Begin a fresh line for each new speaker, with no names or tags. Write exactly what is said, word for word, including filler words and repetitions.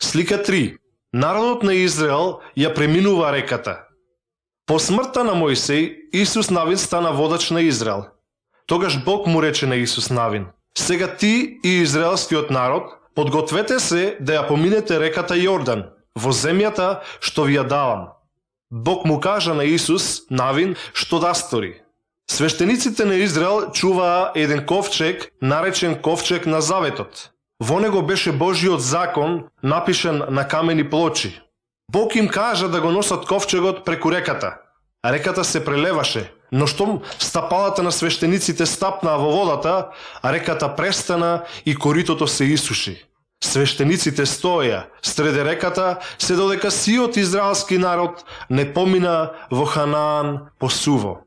Слика три. Народот на Израел ја преминува реката. По смртта на Мојсей, Исус Навин стана водач на Израел. Тогаш Бог му рече на Исус Навин: сега ти и израелскиот народ подгответе се да ја поминете реката Јордан во земјата што ви ја давам. Бог му кажа на Исус Навин што да стори. Свештениците на Израел чуваа еден ковчег, наречен ковчег на заветот. Во него беше Божиот закон, напишан на камени плочи. Бог им кажа да го носат ковчегот преку реката. А реката се прелеваше, но штом стапалата на свештениците стапнаа во водата, а реката престана и коритото се исуши. Свештениците стоја среде реката, се додека сиот израелски народ не помина во Ханаан по суво.